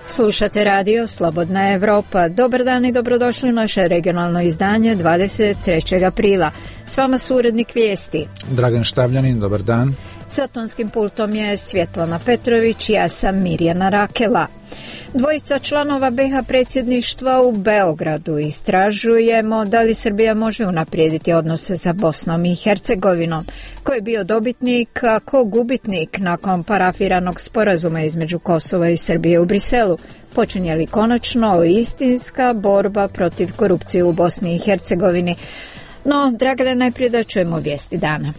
Slušate radio Slobodna Evropa. Dobar dan i dobrodošli u naše regionalno izdanje 23. aprila. S vama su urednik vijesti Dragan Štavljanin, dobar dan. Za tonskim pultom je Svjetlana Petrović, ja sam Mirjana Rakela. Dvojica članova BiH predsjedništva u Beogradu istražujemo da li Srbija može unaprijediti odnose sa Bosnom i Hercegovinom. Ko je bio dobitnik, a ko gubitnik nakon parafiranog sporazuma između Kosova i Srbije u Briselu? Počinje li konačno istinska borba protiv korupcije u Bosni i Hercegovini? No, Dragane, najprije da čujemo vijesti dana.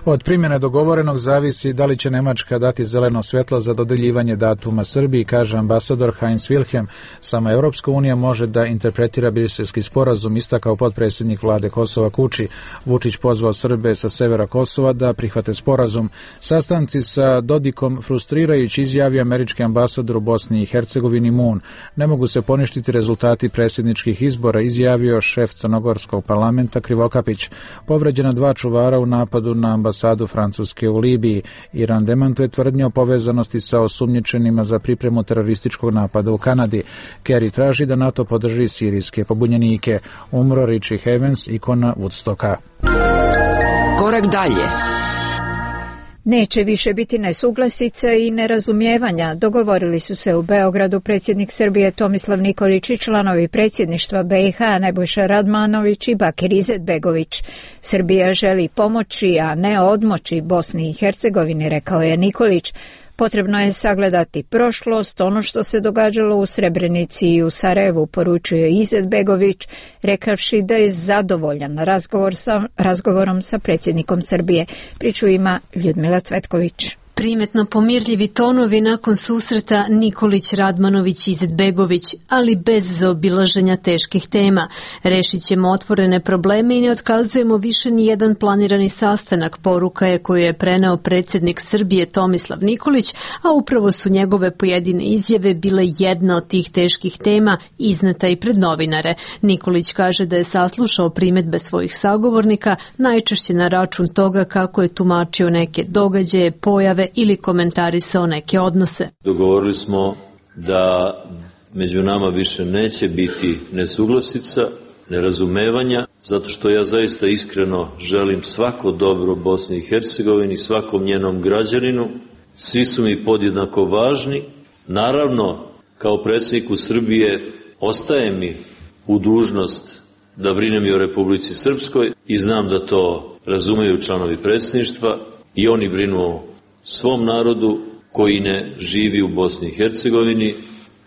Od primjene dogovorenog zavisi da li će Nemačka dati zeleno svjetlo za dodeljivanje datuma Srbiji, kaže ambasador Heinz Wilhelm. Sama Europska unija može da interpretira briselski sporazum, istakao potpredsjednik vlade Kosova Kuči. Vučić pozvao Srbe sa severa Kosova da prihvate sporazum. Sastanci sa Dodikom frustrirajući, izjavio američki ambasador u Bosni i Hercegovini Moon. Ne mogu se poništiti rezultati predsjedničkih izbora, izjavio šef crnogorskog parlamenta Krivokapić. Povređena 2 čuvara u napadu na ambasadu Francuske u Libiji. Iran demantuje tvrdnje o povezanosti sa osumnjičenima za pripremu terorističkog napada u Kanadi. Kerry traži da NATO podrži sirijske pobunjenike. Umro Richie Havens, ikona Woodstocka. Korak dalje. Neće više biti nesuglasica i nerazumijevanja. Dogovorili su se u Beogradu predsjednik Srbije Tomislav Nikolić i članovi predsjedništva BiH Nebojša Radmanović i Bakir Izetbegović. Srbija želi pomoći, a ne odmoći Bosni i Hercegovini, rekao je Nikolić. Potrebno je sagledati prošlost, ono što se događalo u Srebrenici i u Sarajevu, poručio je Izetbegović, rekavši da je zadovoljan razgovorom sa predsjednikom Srbije. Priču ima Ljudmila Cvetković. Primetno pomirljivi tonovi nakon susreta Nikolić, Radmanović i Izetbegović, ali bez zaobilaženja teških tema. Rešit ćemo otvorene probleme i ne otkazujemo više ni jedan planirani sastanak, poruka je koju je preneo predsjednik Srbije Tomislav Nikolić, a upravo su njegove pojedine izjave bile jedna od tih teških tema izneta i pred novinare. Nikolić kaže da je saslušao primedbe svojih sagovornika, najčešće na račun toga kako je tumačio neke događaje, pojave ili komentarisao neke odnose. Dogovorili smo da među nama više neće biti nesuglasica, nerazumevanja, zato što ja zaista iskreno želim svako dobro Bosni i Hercegovini, svakom njenom građaninu. Svi su mi podjednako važni. Naravno, kao predsjedniku Srbije ostaje mi u dužnost da brinem i o Republici Srpskoj i znam da to razumeju članovi predsjedništva i oni brinu o svom narodu koji ne živi u Bosni i Hercegovini.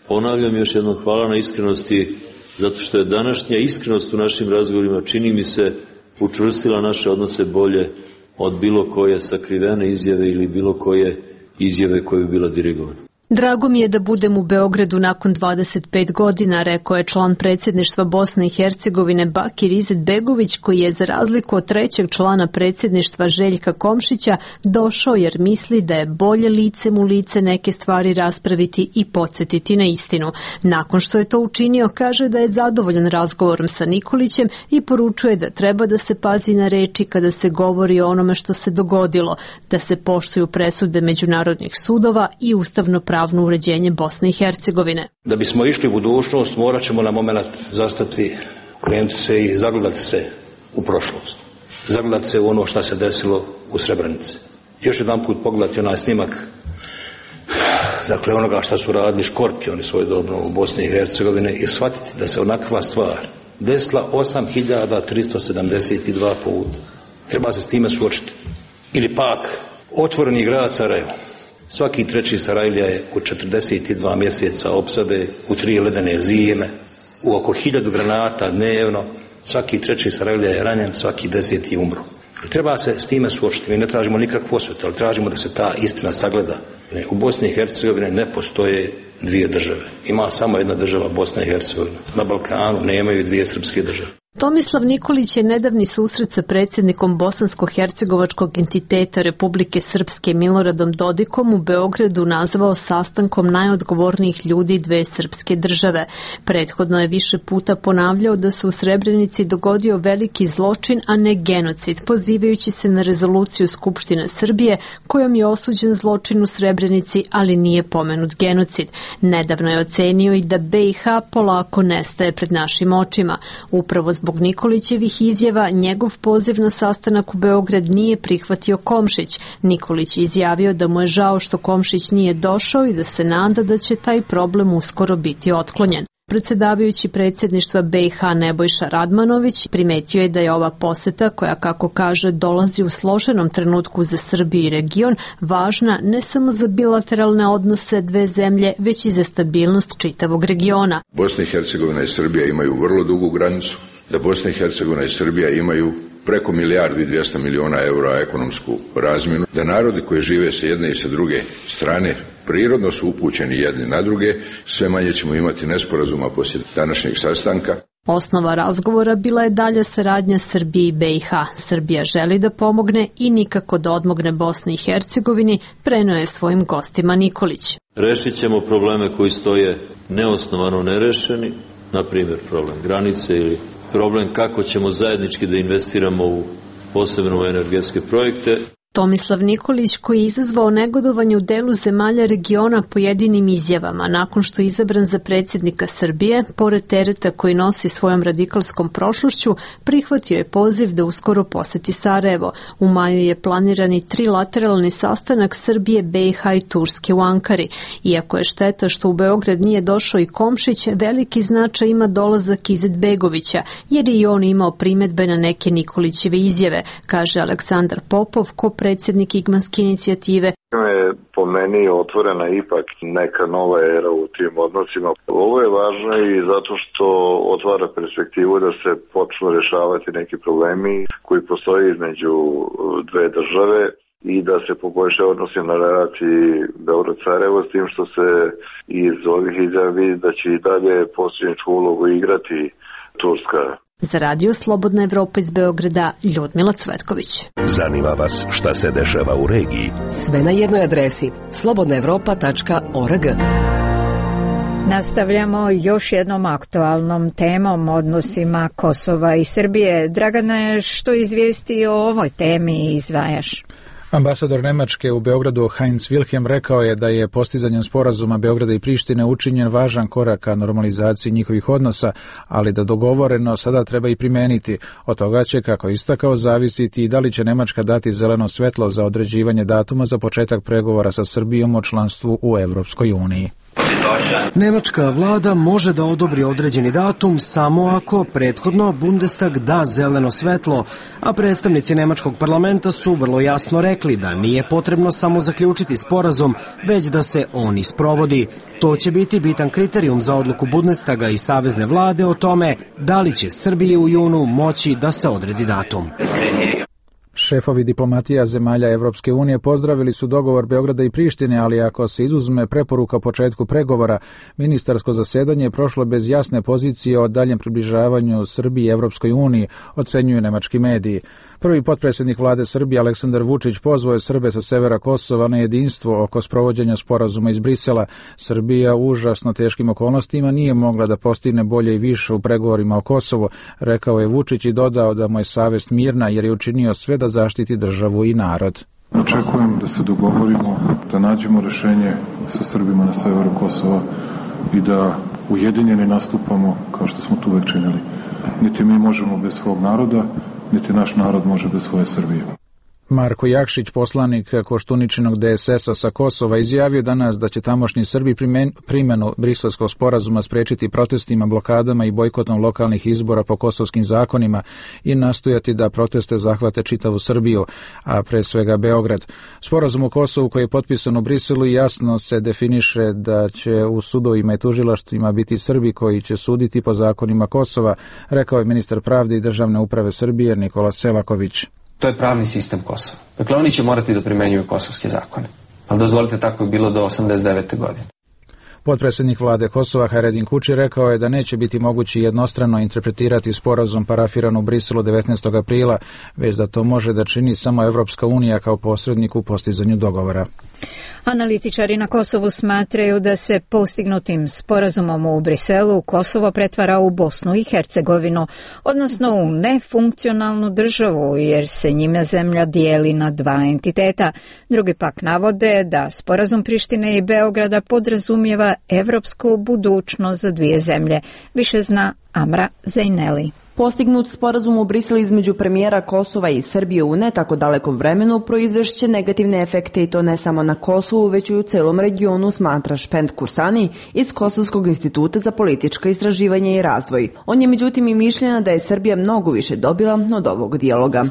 Ponavljam još jednom, hvala na iskrenosti, zato što je današnja iskrenost u našim razgovorima, čini mi se, učvrstila naše odnose bolje od bilo koje sakrivene izjave ili bilo koje izjave koje bi bila dirigovana. Drago mi je da budem u Beogradu nakon 25 godina, rekao je član predsjedništva Bosne i Hercegovine Bakir Izetbegović, koji je za razliku od trećeg člana predsjedništva Željka Komšića došao jer misli da je bolje licem u lice neke stvari raspraviti i podsjetiti na istinu. Nakon što je to učinio, kaže da je zadovoljan razgovorom sa Nikolićem i poručuje da treba da se pazi na reči kada se govori o onome što se dogodilo, da se poštuju presude međunarodnih sudova i ustavno pravno uređenje Bosne i Hercegovine. Da bismo išli u budućnost, morat ćemo na moment zastati, krenuti se i zagledati se u prošlost. Zagledati se u ono što se desilo u Srebrenici. Još jedan put pogledati onaj snimak, dakle onoga što su radili škorpioni svojedobno u Bosni i Hercegovine i shvatiti da se onakva stvar desila 8372 puta. Treba se s time suočiti. Ili pak otvoreni grad Sarajevo. Svaki treći Sarajlija je u 42 mjeseca opsade, u 3 ledene zime, u oko 1000 granata dnevno. Svaki treći Sarajlija je ranjen, svaki 10. umro. Treba se s time suočiti. Mi ne tražimo nikakvu osvetu, ali tražimo da se ta istina sagleda. U Bosni i Hercegovini ne postoje dvije države. Ima samo jedna država, Bosna i Hercegovina. Na Balkanu nemaju dvije srpske države. Tomislav Nikolić je nedavni susret sa predsjednikom bosansko-hercegovačkog entiteta Republike Srpske Miloradom Dodikom u Beogradu nazvao sastankom najodgovornijih ljudi dve srpske države. Prethodno je više puta ponavljao da se u Srebrenici dogodio veliki zločin, a ne genocid, pozivajući se na rezoluciju Skupštine Srbije kojom je osuđen zločin u Srebrenici, ali nije pomenut genocid. Nedavno je ocenio i da BiH polako nestaje pred našim očima. Upravo zbog Nikolićevih izjava njegov poziv na sastanak u Beograd nije prihvatio Komšić. Nikolić je izjavio da mu je žao što Komšić nije došao i da se nada da će taj problem uskoro biti otklonjen. Predsjedavajući predsjedništva BiH Nebojša Radmanović primetio je da je ova poseta, koja kako kaže dolazi u složenom trenutku za Srbiju i region, važna ne samo za bilateralne odnose dve zemlje, već i za stabilnost čitavog regiona. Bosna i Hercegovina i Srbija imaju vrlo dugu granicu, da Bosna i Hercegovina i Srbija imaju preko 1.200.000.000 eura ekonomsku razmjenu, da narodi koji žive sa jedne i sa druge strane prirodno su upućeni jedni na druge, sve manje ćemo imati nesporazuma poslije današnjeg sastanka. Osnova razgovora bila je dalja saradnja Srbije i BiH. Srbija želi da pomogne i nikako da odmogne Bosni i Hercegovini, preneo je svojim gostima Nikolić. Rešit ćemo probleme koji stoje neosnovano nerešeni, na primjer problem granice ili problem kako ćemo zajednički da investiramo u posebno energetske projekte. Tomislav Nikolić, koji je izazvao negodovanje u delu zemalja regiona pojedinim izjavama nakon što je izabran za predsjednika Srbije, pored tereta koji nosi svojom radikalskom prošlošću, prihvatio je poziv da uskoro poseti Sarajevo. U maju je planiran i trilateralni sastanak Srbije, BiH i Turske u Ankari. Iako je šteta što u Beograd nije došao i Komšić, veliki značaj ima dolazak Izetbegovića, jer je i on imao primjedbe na neke Nikolićeve izjave, kaže Aleksandar Popov, predsjednik Igmanske inicijative. Je po meni otvorena ipak neka nova era u tim odnosima. Ovo je važno i zato što otvara perspektivu da se počnu rješavati neki problemi koji postoje između dve države i da se poboljša odnosi na relaciji Beograd-Sarajevo, s tim što se iz ovih izjava vidi da će i dalje posredničku ulogu igrati Turska. Za radio Slobodna Evropa iz Beograda, Ljudmila Cvetković. Zanima vas šta se dešava u regiji? Sve na jednoj adresi slobodnaevropa.org. Nastavljamo još jednom aktualnom temom, odnosima Kosova i Srbije. Dragane, što izvijesti o ovoj temi izdvajaš? Ambasador Nemačke u Beogradu Heinz Wilhelm rekao je da je postizanjem sporazuma Beograda i Prištine učinjen važan korak ka normalizaciji njihovih odnosa, ali da dogovoreno sada treba i primeniti. Od toga će, kako istakao, zavisiti i da li će Nemačka dati zeleno svetlo za određivanje datuma za početak pregovora sa Srbijom o članstvu u Evropskoj uniji. Nemačka vlada može da odobri određeni datum samo ako prethodno Bundestag da zeleno svetlo, a predstavnici nemačkog parlamenta su vrlo jasno rekli da nije potrebno samo zaključiti sporazum, već da se on i sprovodi. To će biti bitan kriterijum za odluku Bundestaga i savezne vlade o tome da li će Srbiji u junu moći da se odredi datum. Šefovi diplomatija zemalja Evropske unije pozdravili su dogovor Beograda i Prištine, ali ako se izuzme preporuka o početku pregovora, ministarsko zasedanje je prošlo bez jasne pozicije o daljem približavanju Srbiji i Evropskoj uniji, ocenjuju nemački mediji. Prvi potpredsjednik vlade Srbije Aleksandar Vučić pozvao je Srbe sa severa Kosova na jedinstvo oko sprovođenja sporazuma iz Brisela. Srbija u užasno teškim okolnostima nije mogla da postigne bolje i više u pregovorima o Kosovu, rekao je Vučić i dodao da mu je savest mirna jer je učinio sve da zaštiti državu i narod. Očekujem da se dogovorimo, da nađemo rešenje sa Srbima na severu Kosova i da ujedinjeni nastupamo kao što smo tu uvek činili. Niti mi možemo bez svog naroda, niti naš narod može bez svoje Srbije. Marko Jakšić, poslanik Koštuničinog DSS-a sa Kosova, izjavio danas da će tamošnji Srbi primjenu briselskog sporazuma sprečiti protestima, blokadama i bojkotom lokalnih izbora po kosovskim zakonima i nastojati da proteste zahvate čitavu Srbiju, a pre svega Beograd. Sporazum u Kosovu koji je potpisan u Briselu jasno se definiše da će u sudovima i tužilaštvima biti Srbi koji će suditi po zakonima Kosova, rekao je ministar pravde i državne uprave Srbije Nikola Selaković. To je pravni sistem Kosova. Dakle, oni će morati da primenjuju kosovske zakone. Ali dozvolite, tako je bilo do 89. godine. Potpredsjednik vlade Kosova Hajredin Kuči rekao je da neće biti moguće jednostrano interpretirati sporazum parafiran u Briselu 19. aprila, već da to može da čini samo Evropska unija kao posrednik u postizanju dogovora. Analitičari na Kosovu smatraju da se postignutim sporazumom u Briselu Kosovo pretvara u Bosnu i Hercegovinu, odnosno u nefunkcionalnu državu, jer se njime zemlja dijeli na dva entiteta. Drugi pak navode da sporazum Prištine i Beograda podrazumijeva evropsku budućnost za dvije zemlje. Više zna Amra Zejneli. Postignut sporazum u Briselu između premijera Kosova i Srbije u ne tako dalekom vremenu proizvešće negativne efekte i to ne samo na Kosovu, već i u celom regionu, smatra Špend Kursani iz Kosovskog instituta za politička istraživanja i razvoj. On je međutim i mišljenja da je Srbija mnogo više dobila od ovog dijaloga.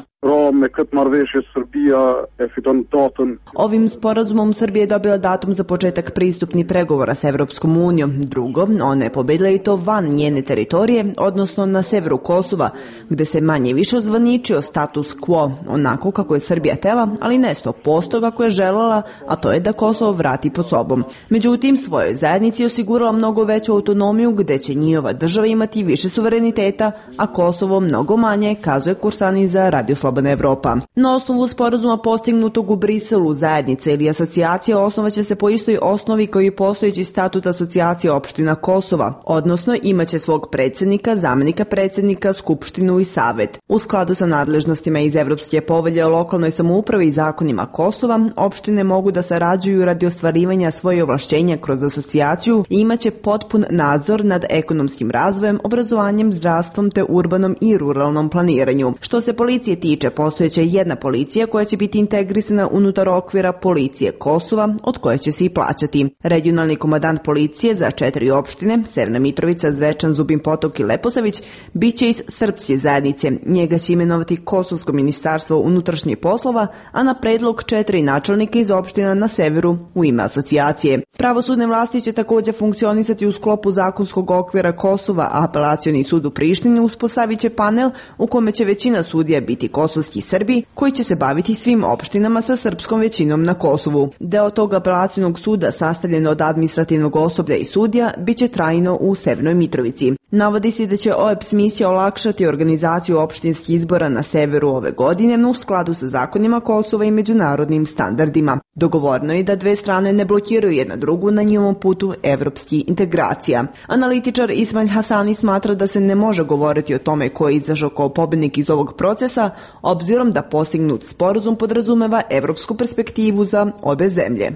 Ovim sporazumom Srbija je dobila datum za početak pristupnih pregovora s Evropskom unijom. Drugo, ona je pobedila i to van njene teritorije, odnosno na severu Kosova, gde se manje više ozvaničio status quo, onako kako je Srbija htela, ali ne 100% kako je želela, a to je da Kosovo vrati pod sobom. Međutim, svojoj zajednici osigurala mnogo veću autonomiju, gde će njihova država imati više suvereniteta, a Kosovo mnogo manje, kazuje Kursani za Radio Slobodna Evropa. Na osnovu sporazuma postignutog u Briselu, zajednica ili asocijacija osnovaće se po istoj osnovi kao i postojeći statut asocijacije opština Kosova, odnosno imaće svog predsjednika, zamenika predsjednika, skupštinu i savet. U skladu sa nadležnostima iz Evropske povelje o lokalnoj samoupravi i zakonima Kosova, opštine mogu da sarađuju radi ostvarivanja svoje ovlašćenja kroz asocijaciju i imaće potpun nadzor nad ekonomskim razvojem, obrazovanjem, zdravstvom te urbanom i ruralnom planiranju. Što se policije tiče, postojeća jedna policija koja će biti integrisana unutar okvira policije Kosova, od koje će se i plaćati. Regionalni komandant policije za 4 opštine, Severna Mitrovica, Zvečan, Zubin Potok i Leposavić, biće iz srpske zajednice. Njega će imenovati Kosovsko ministarstvo unutrašnjih poslova, a na predlog 4 načelnika iz opština na severu u ime asocijacije. Pravosudne vlasti će također funkcionisati u sklopu zakonskog okvira Kosova, a apelacioni sud u Prištini uspostavit će panel u kome će većina sudija biti kosovski Srbi, koji će se baviti svim opštinama sa srpskom većinom na Kosovu. Deo tog apelacionog suda, sastavljen od administrativnog osoblja i sudija, biće trajno u Severnoj Mitrovici. Navodi se da će OEBS misija olakšati organizaciju opštinskih izbora na severu ove godine u skladu sa zakonima Kosova i međunarodnim standardima. Dogovoreno je da dve strane ne blokiraju jedna drugu na njihovom putu evropskih integracija. Analitičar Ismail Hasani smatra da se ne može govoriti o tome ko je izašao kao pobednik iz ovog procesa, obzirom da postignut sporazum podrazumeva evropsku perspektivu za obe zemlje.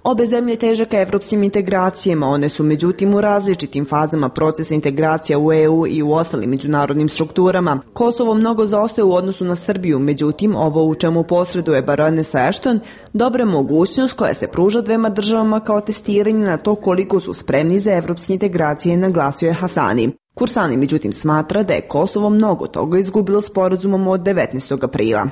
Obe zemlje teže ka evropskim integracijama, one su međutim u različitim fazama procesa integracija u EU i u ostalim međunarodnim strukturama. Kosovo mnogo zaostaje u odnosu na Srbiju, međutim ovo u čemu posreduje baronesa Ashton dobra mogućnost koja se pruža dvema državama kao testiranje na to koliko su spremni za evropske integracije, naglasio je Hasani. Kursani međutim smatra da je Kosovo mnogo toga izgubilo sporazumom od 19. aprila.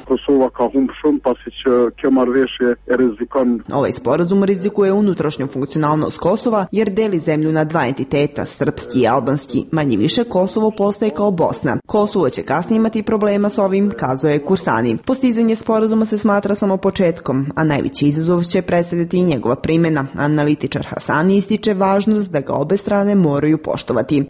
Ovaj sporazum rizikuje unutrašnju funkcionalnost Kosova jer deli zemlju na dva entiteta, srpski i albanski. Manje više Kosovo postaje kao Bosna. Kosovo će kasnije imati problema s ovim, kazuje Kursani. Postizanje sporazuma se smatra samo početkom, a najveći izazov će predstavljati i njegova primjena. Analitičar Hasani ističe važnost da ga obe strane moraju poštovati.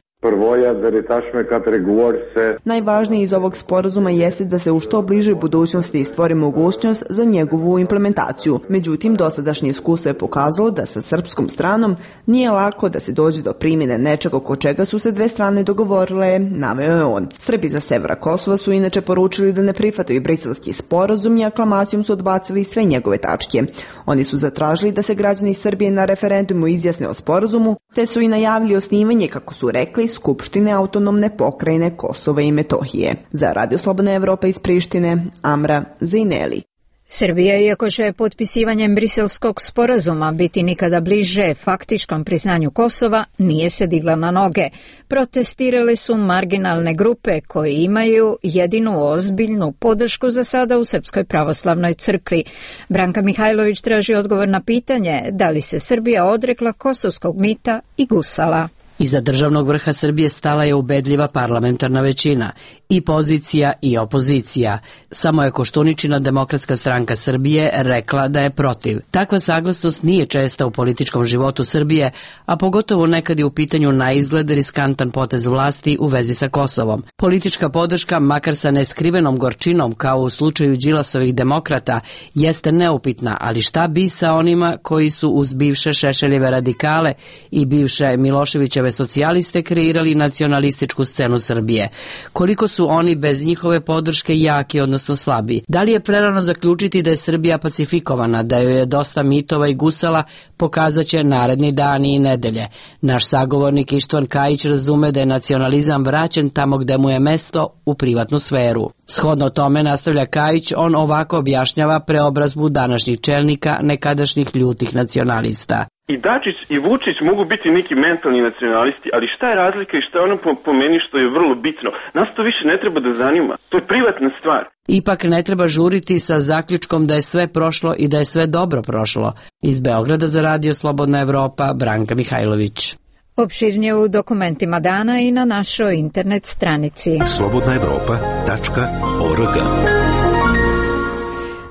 Najvažnije iz ovog sporazuma jeste da se u što bližoj budućnosti stvori mogućnost za njegovu implementaciju. Međutim, dosadašnje iskustvo je pokazalo da sa srpskom stranom nije lako da se dođe do primjene nečega oko čega su se dve strane dogovorile, naveo je on. Srbi za severa Kosova su inače poručili da ne prihvataju briselski sporazum i aklamacijom su odbacili sve njegove tačke. Oni su zatražili da se građani Srbije na referendumu izjasne o sporazumu, te su i najavili osnivanje, kako su rekli, Skupštine autonomne pokrajine Kosova i Metohije. Za Radio Slobodna Evropa iz Prištine, Amra Zejneli. Srbija, iako će potpisivanjem briselskog sporazuma biti nikada bliže faktičkom priznanju Kosova, nije se digla na noge. Protestirale su marginalne grupe koje imaju jedinu ozbiljnu podršku za sada u Srpskoj pravoslavnoj crkvi. Branka Mihajlović traži odgovor na pitanje da li se Srbija odrekla kosovskog mita i gusala. Iza državnog vrha Srbije stala je ubedljiva parlamentarna većina, i pozicija i opozicija. Samo je Koštuničina Demokratska stranka Srbije rekla da je protiv. Takva saglasnost nije česta u političkom životu Srbije, a pogotovo nekad je u pitanju na izgled riskantan potez vlasti u vezi sa Kosovom. Politička podrška, makar sa neskrivenom gorčinom kao u slučaju Đilasovih demokrata, jeste neupitna, ali šta bi sa onima koji su uz bivše Šešeljeve radikale i bivše Miloševićeve socijaliste kreirali nacionalističku scenu Srbije? Koliko su oni bez njihove podrške jaki, odnosno slabi? Da li je prerano zaključiti da je Srbija pacifikovana, da joj je dosta mitova i gusala, pokazat će naredni dani i nedelje. Naš sagovornik Ištvan Kajić razume da je nacionalizam vraćen tamo gde mu je mesto, u privatnu sferu. Shodno tome, nastavlja Kajić, on ovako objašnjava preobrazbu današnjih čelnika nekadašnjih ljutih nacionalista. I Dačić i Vučić mogu biti neki mentalni nacionalisti, ali šta je razlika i šta je ono po meni što je vrlo bitno? Nas to više ne treba da zanima. To je privatna stvar. Ipak ne treba žuriti sa zaključkom da je sve prošlo i da je sve dobro prošlo. Iz Beograda za Radio Slobodna Evropa, Branka Mihajlović. Opširnije u dokumentima dana i na našoj internet stranici. slobodnaevropa.org.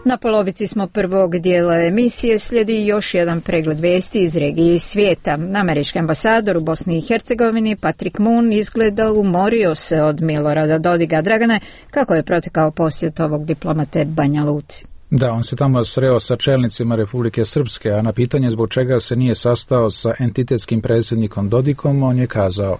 Na polovici smo prvog dijela emisije, slijedi još jedan pregled vijesti iz regije i svijeta. Američki ambasador u Bosni i Hercegovini Patrick Moon izgleda umorio se od Milorada Dodiga. Dragane, kako je protekao posjet ovog diplomate Banja Luci? Da, on se tamo sreo sa čelnicima Republike Srpske, a na pitanje zbog čega se nije sastao sa entitetskim predsjednikom Dodikom, on je kazao: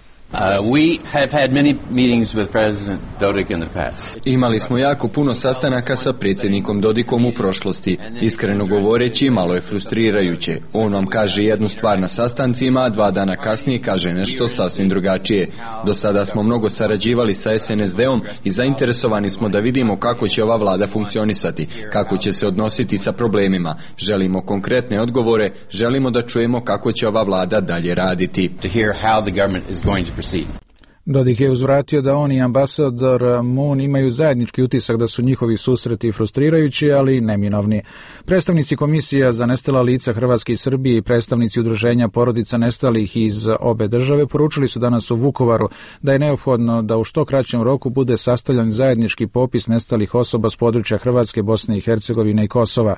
We have had many meetings with President Dodik in the past. Imali smo jako puno sastanaka sa predsjednikom Dodikom u prošlosti. Iskreno govoreći, malo je frustrirajuće. On vam kaže jednu stvar na sastancima, a 2 dana kasnije kaže nešto sasvim drugačije. Do sada smo mnogo sarađivali sa SNSD-om i zainteresovani smo da vidimo kako će ova vlada funkcionisati, kako će se odnositi sa problemima. Želimo konkretne odgovore, želimo da čujemo kako će ova vlada dalje raditi. To hear how the government is going to proceed. Dodik je uzvratio da on i ambasador Moon imaju zajednički utisak da su njihovi susreti frustrirajući, ali neminovni. Predstavnici Komisija za nestala lica Hrvatske i Srbije i predstavnici udruženja porodica nestalih iz obe države poručili su danas u Vukovaru da je neophodno da u što kraćem roku bude sastavljen zajednički popis nestalih osoba s područja Hrvatske, Bosne i Hercegovine i Kosova.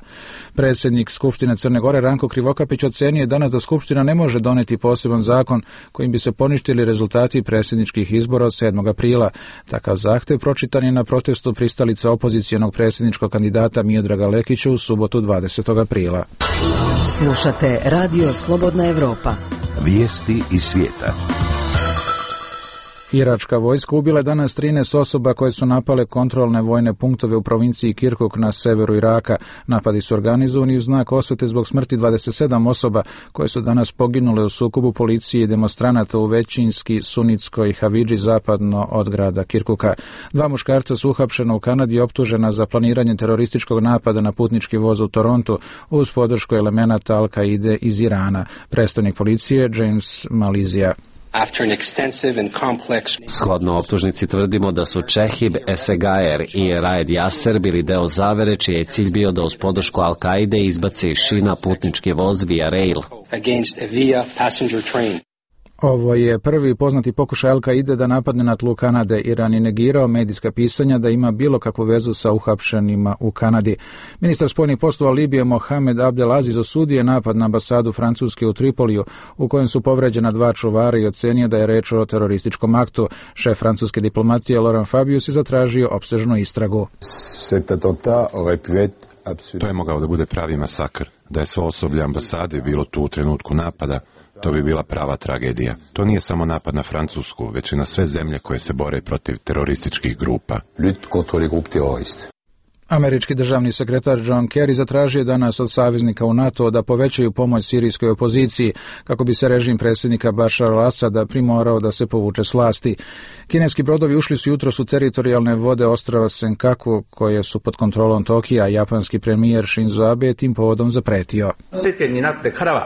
Predsjednik Skupštine Crne Gore Ranko Krivokapić ocenio je danas da Skupština ne može doneti poseban zakon kojim bi se poništili rezultati predsjedničkih izbora od 7. aprila. Takav zahtev pročitan je na protestu pristalica opozicijonog predsjedničkog kandidata Miodraga Lekića u subotu 20. aprila. Slušate Radio Slobodna Evropa. Vijesti iz svijeta. Iračka vojska ubila je danas 13 osoba koje su napale kontrolne vojne punktove u provinciji Kirkuk na severu Iraka. Napadi su organizovani u znak osvete zbog smrti 27 osoba koje su danas poginule u sukobu policije i demonstranata u većinski sunitskoj Havidži zapadno od grada Kirkuka. 2 muškarca su uhapšena u Kanadi i optužena za planiranje terorističkog napada na putnički voz u Torontu uz podršku elemenata Al-Kaide iz Irana. Predstavnik policije James Malizija. Shodno optužnici tvrdimo da su Čehib Esegajer i Raed Jaser bili deo zavere čiji je cilj bio da uz podršku Al-Kaide izbaci iz šina putnički voz Via Rail. Ovo je prvi poznati pokušaj Al-Kaide da napadne na tlu Kanade. Iran je negirao medijska pisanja da ima bilo kakvu vezu sa uhapšenima u Kanadi. Ministar spoljnih poslova Libije Mohamed Abdelaziz osudio je napad na ambasadu Francuske u Tripoliju u kojem su povređena 2 čuvara i ocenio da je reč o terorističkom aktu. Šef francuske diplomatije Laurent Fabius je zatražio opsežnu istragu. To je mogao da bude pravi masakr. Da je svo osoblje ambasade bilo tu u trenutku napada, to bi bila prava tragedija. To nije samo napad na Francusku, već i na sve zemlje koje se bore protiv terorističkih grupa. Američki državni sekretar John Kerry zatražio danas od saveznika u NATO da povećaju pomoć sirijskoj opoziciji kako bi se režim predsjednika Bašar al-Asada primorao da se povuče s vlasti. Kineski brodovi ušli su jutros u teritorijalne vode ostrava Senkaku koje su pod kontrolom Tokija, a japanski premijer Shinzo Abe je tim povodom zapretio.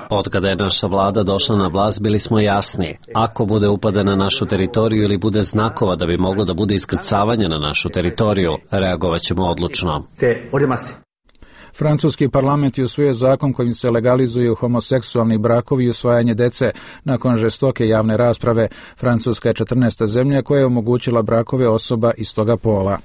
Od kada je naša vlada došla na vlast bili smo jasni. Ako bude upada na našu teritoriju ili bude znakova da bi moglo da bude iskrcavanje na našu teritoriju, reagovat ćemo odlučno. Francuski parlament je usvojio zakon kojim se legalizuju homoseksualni brakovi i usvajanje dece. Nakon žestoke javne rasprave, Francuska je 14. zemlja koja je omogućila brakove osoba istoga pola.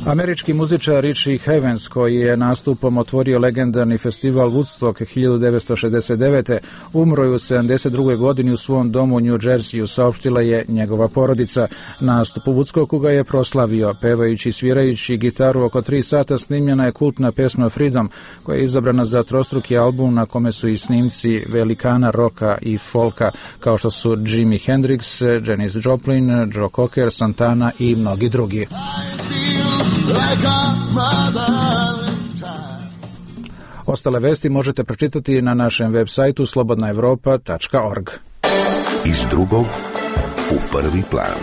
Američki muzičar Richie Havens, koji je nastupom otvorio legendarni festival Woodstock 1969. umro je u 72. godini u svom domu u New Jerseyu, saopštila je njegova porodica. Nastup u Woodstocku ga je proslavio. Pevajući i svirajući gitaru oko 3 sata snimljena je kultna pesma Freedom, koja je izabrana za trostruki album na kome su i snimci velikana roka i folka, kao što su Jimi Hendrix, Janis Joplin, Joe Cocker, Santana i mnogi drugi. Ostale vesti možete pročitati na našem web sajtu slobodnaevropa.org. Iz drugog u prvi plan.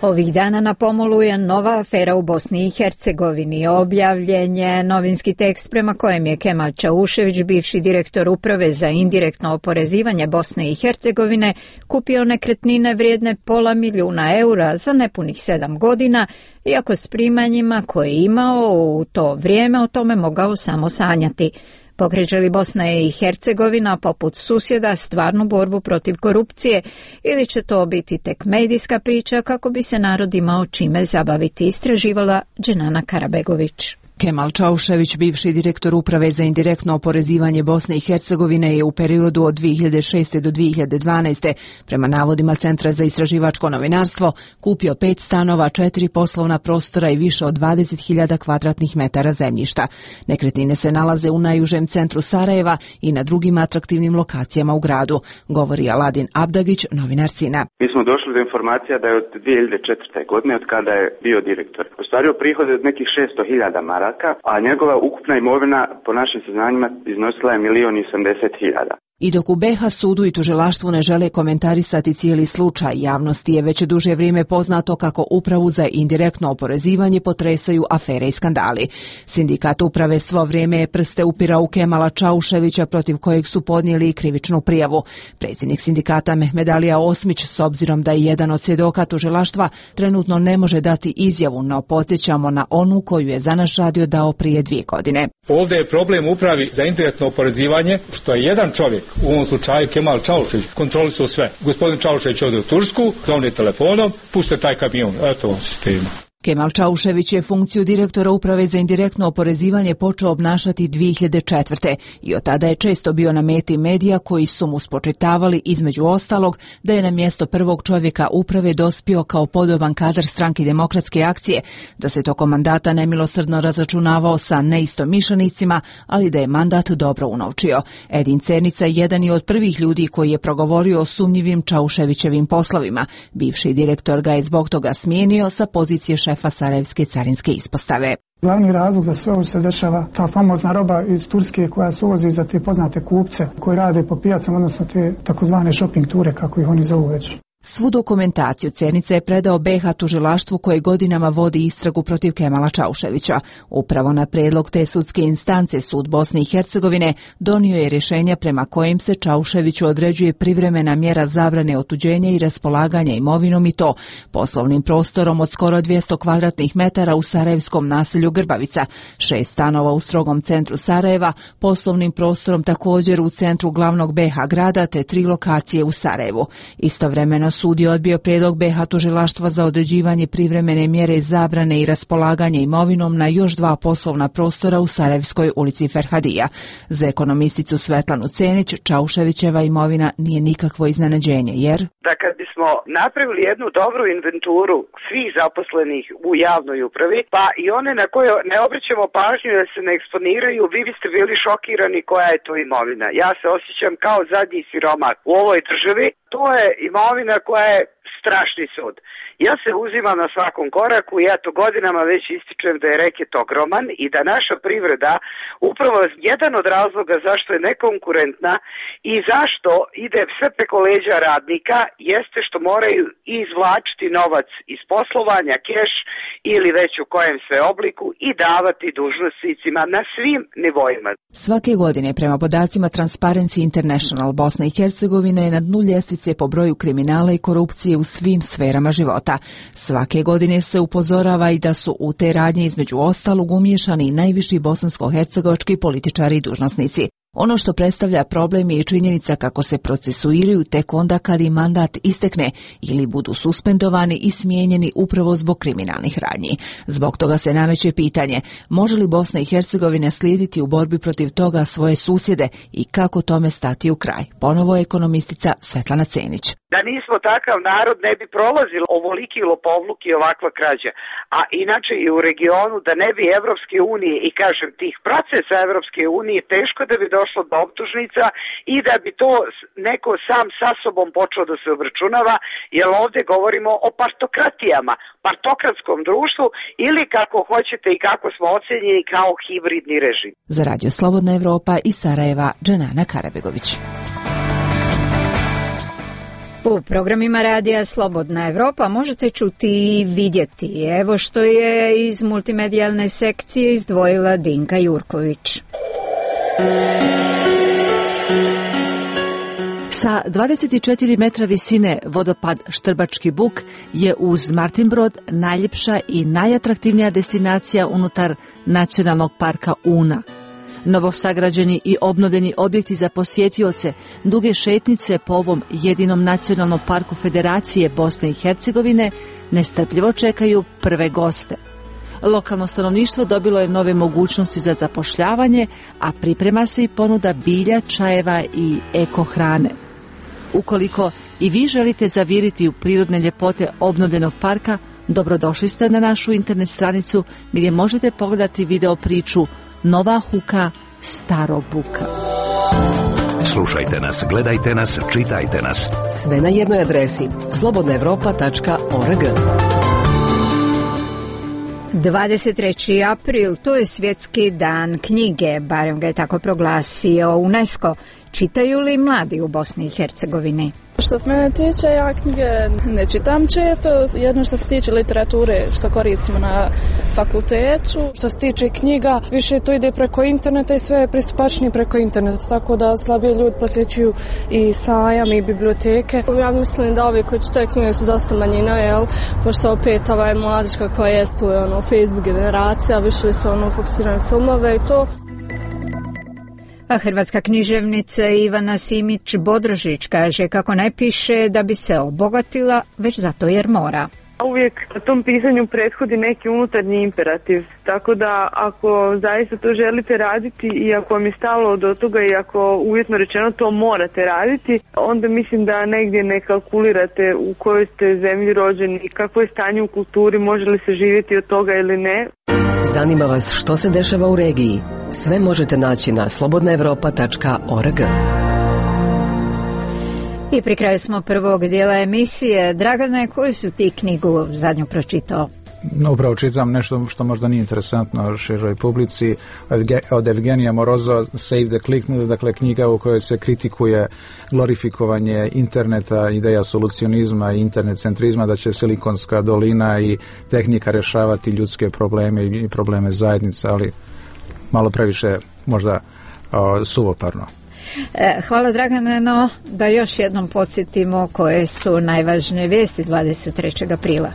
Ovih dana na pomolu je nova afera u Bosni i Hercegovini. Objavljen je novinski tekst prema kojem je Kemal Čaušević, bivši direktor Uprave za indirektno oporezivanje Bosne i Hercegovine, kupio nekretnine vrijedne €500.000 za nepunih 7 godina, iako s primanjima koje je imao u to vrijeme o tome mogao samo sanjati. Pokreće li Bosna i Hercegovina poput susjeda stvarnu borbu protiv korupcije ili će to biti tek medijska priča kako bi se narod imao čime zabaviti, istraživala Dženana Karabegović. Kemal Čaušević, bivši direktor Uprave za indirektno oporezivanje Bosne i Hercegovine, je u periodu od 2006. do 2012. prema navodima Centra za istraživačko novinarstvo kupio 5 stanova, 4 poslovna prostora i više od 20.000 kvadratnih metara zemljišta. Nekretnine se nalaze u najužem centru Sarajeva i na drugim atraktivnim lokacijama u gradu, govori Aladin Abdagić, novinar Cina. Mi smo došli do informacija da je od 2004. godine, od kada je bio direktor, ostvario prihode od nekih 600.000 maraka, a njegova ukupna imovina po našim saznanjima iznosila je 1.080.000. I dok u BiH sudu i tužilaštvu ne žele komentarisati cijeli slučaj, javnosti je već duže vrijeme poznato kako Upravu za indirektno oporezivanje potresaju afere i skandali. Sindikat Uprave svo vrijeme je prste upirao u Kemala Čauševića, protiv kojeg su podnijeli i krivičnu prijavu. Predsjednik sindikata Mehmedalija Osmić, s obzirom da je jedan od svjedoka tužilaštva, trenutno ne može dati izjavu, no podsjećamo na onu koju je za naš radio dao prije 2 godine. Ovdje je problem Upravi za indirektno oporezivanje, što je jedan čovjek, u ovom slučaju Kemal Čaušević, kontrolisao sve. Gospodin Čaušević ode u Tursku, zovne telefonom, puste taj kamion, eto vam sistema. Kemal Čaušević je funkciju direktora Uprave za indirektno oporezivanje počeo obnašati 2004. i od tada je često bio na meti medija koji su mu spočitavali, između ostalog, da je na mjesto prvog čovjeka uprave dospio kao podoban kadar Stranke demokratske akcije, da se tokom mandata nemilosrdno razračunavao sa neistomišljenicima, ali da je mandat dobro unovčio. Edin Cernica je jedan i od prvih ljudi koji je progovorio o sumnjivim Čauševićevim poslovima. Bivši direktor ga je zbog toga smijenio sa pozicije šefa Sarajevske carinske ispostave. Glavni razlog za sve ovo se dešava ta famozna roba iz Turske koja se uvozi za te poznate kupce koji rade po pijacama, odnosno te takozvane shopping ture, kako ih oni zovu već. Svu dokumentaciju Cernica je predao BiH tužilaštvu koje godinama vodi istragu protiv Kemala Čauševića. Upravo na prijedlog te sudske instance Sud Bosne i Hercegovine donio je rješenja prema kojim se Čauševiću određuje privremena mjera zabrane otuđenja i raspolaganja imovinom, i to poslovnim prostorom od skoro 200 kvadratnih metara u sarajevskom naselju Grbavica, 6 stanova u strogom centru Sarajeva, poslovnim prostorom također u centru glavnog BiH grada te 3 lokacije u Sarajevu. Istovremeno sud je odbio prijedlog BiH tužilaštva za određivanje privremene mjere zabrane i raspolaganje imovinom na još 2 poslovna prostora u Sarajevskoj ulici Ferhadija. Za ekonomisticu Svetlanu Cenić, Čauševićeva imovina nije nikakvo iznenađenje, jer da kad bismo napravili jednu dobru inventuru svih zaposlenih u javnoj upravi, pa i one na koje ne obraćamo pažnju da se ne eksponiraju, vi biste bili šokirani koja je to imovina. Ja se osjećam kao zadnji siromah u ovoj državi. To je imovina koja je strašni sud. Ja se uzimam na svakom koraku i ja to godinama već ističem da je reket ogroman i da naša privreda, upravo jedan od razloga zašto je nekonkurentna i zašto ide sve preko leđa radnika, jeste što moraju izvlačiti novac iz poslovanja, keš ili već u kojem sve obliku, i davati dužnosnicima na svim nivoima. Svake godine, prema podacima Transparency International, Bosna i Hercegovina je na dnu ljestvice po broju kriminala i korupcije u svim sferama života. Svake godine se upozorava i da su u te radnje između ostalog umiješani i najviši bosansko-hercegovački političari i dužnosnici. Ono što predstavlja problem je i činjenica kako se procesuiraju tek onda kad im mandat istekne ili budu suspendovani i smijenjeni upravo zbog kriminalnih radnji. Zbog toga se nameće pitanje, može li Bosna i Hercegovina slijediti u borbi protiv toga svoje susjede i kako tome stati u kraj? Ponovo je ekonomistica Svetlana Cenić. Da nismo takav narod ne bi prolazilo ovoliki lopovluk i ovakva krađa. A inače i u regionu da ne bi Evropske unije i kažem tih procesa Evropske unije teško da bi došlo do optužnica i da bi to neko sam sa sobom počeo da se obračunava, jer ovdje govorimo o partokratijama, partokratskom društvu ili kako hoćete i kako smo ocenjeni kao hibridni režim. Za Radio Slobodna Evropa iz Sarajeva, Dženana Karabegović. U programima radija Slobodna Evropa možete čuti i vidjeti. Evo što je iz multimedijalne sekcije izdvojila Dinka Jurković. Sa 24 metra visine vodopad Štrbački buk je uz Martinbrod najljepša i najatraktivnija destinacija unutar Nacionalnog parka Una. Novosagrađeni i obnovljeni objekti za posjetioce, duge šetnice po ovom jedinom nacionalnom parku Federacije Bosne i Hercegovine nestrpljivo čekaju prve goste. Lokalno stanovništvo dobilo je nove mogućnosti za zapošljavanje, a priprema se i ponuda bilja, čajeva i eko hrane. Ukoliko i vi želite zaviriti u prirodne ljepote obnovljenog parka, dobrodošli ste na našu internet stranicu gdje možete pogledati video priču Nova Huka, Staro Buka. Slušajte nas, gledajte nas, čitajte nas. Sve na jednoj adresi slobodnaevropa.org. 23. april, to je svjetski dan knjige, barem ga je tako proglasio UNESCO. Čitaju li mladi u Bosni i Hercegovini? Što se mene tiče, ja knjige ne čitam često, jedno što se tiče literature što koristimo na fakultetu. Što se tiče knjiga, više to ide preko interneta i sve je pristupačnije preko interneta, tako da slabije ljudi posjećuju i sajam i biblioteke. Ja mislim da ovi koji čitaju knjige su dosta manjina, pošto opet ovaj mladiška koja je tu Facebook generacija, više su fokusirane filmove i to. A hrvatska književnica Ivana Simić-Bodrožić kaže kako ne piše da bi se obogatila, već zato jer mora. Uvijek na tom pisanju prethodi neki unutarnji imperativ, tako da ako zaista to želite raditi i ako vam je stalo do toga i ako uvjetno rečeno to morate raditi, onda mislim da negdje ne kalkulirate u kojoj ste zemlji rođeni, kakvo je stanje u kulturi, može li se živjeti od toga ili ne. Zanima vas što se dešava u regiji? Sve možete naći na slobodnaevropa.org. I pri kraju smo prvog dijela emisije. Dragane, koju su ti knjigu zadnju pročitao? Upravo čitam nešto što možda nije interesantno široj publici, od Evgenija Morozova, Save the Click, dakle knjiga u kojoj se kritikuje glorifikovanje interneta, ideja solucionizma i internet centrizma, da će Silikonska dolina i tehnika rješavati ljudske probleme i probleme zajednica, ali malo previše možda suvoparno. Hvala Dragane, no da još jednom podsjetimo koje su najvažnije vijesti 23. aprila.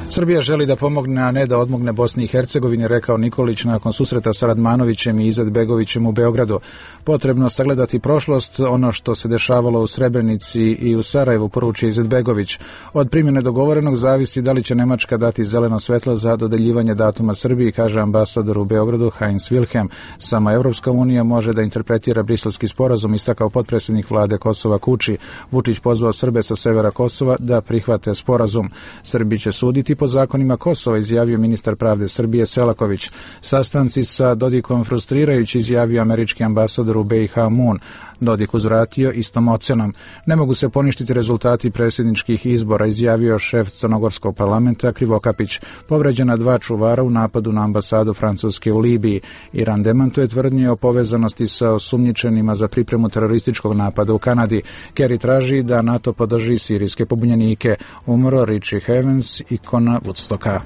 Srbija želi da pomogne, a ne da odmogne Bosni i Hercegovini, rekao Nikolić nakon susreta sa Radmanovićem i Izetbegovićem u Beogradu. Potrebno sagledati prošlost, ono što se dešavalo u Srebrenici i u Sarajevu, poručio Izetbegović. Od primjene dogovorenog zavisi da li će Nemačka dati zeleno svetlo za dodeljivanje datuma Srbiji, kaže ambasador u Beogradu Heinz Wilhelm. Sama Evropska unija može da interpretira briselski sporazum, istakao potpredsjednik vlade Kosova Kuči. Vučić pozvao Srbe sa severa Kosova da prihvate sporazum. Srbi će suditi po zakonima Kosova, izjavio ministar pravde Srbije Selaković. Sastanci sa Dodikom frustrirajući, izjavio američki ambasador u BiH Moon. Dodik uzvratio istom ocenom. Ne mogu se poništiti rezultati predsjedničkih izbora, izjavio šef crnogorskog parlamenta Krivokapić. Povređena 2 čuvara u napadu na ambasadu Francuske u Libiji. Iran demantuje tvrdnje o povezanosti sa osumnjičenima za pripremu terorističkog napada u Kanadi. Kerry traži da NATO podrži sirijske pobunjenike. Umro Richie Havens, ikona Woodstocka.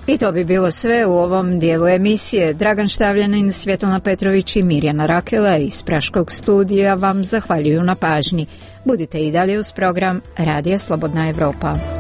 I to bi bilo sve u ovom dijelu emisije. Dragan Štavljanin, Svjetlana Petrović i Mirjana Rakela iz Praškog studija vam zahvaljuju na pažnji. Budite i dalje uz program Radija Slobodna Evropa.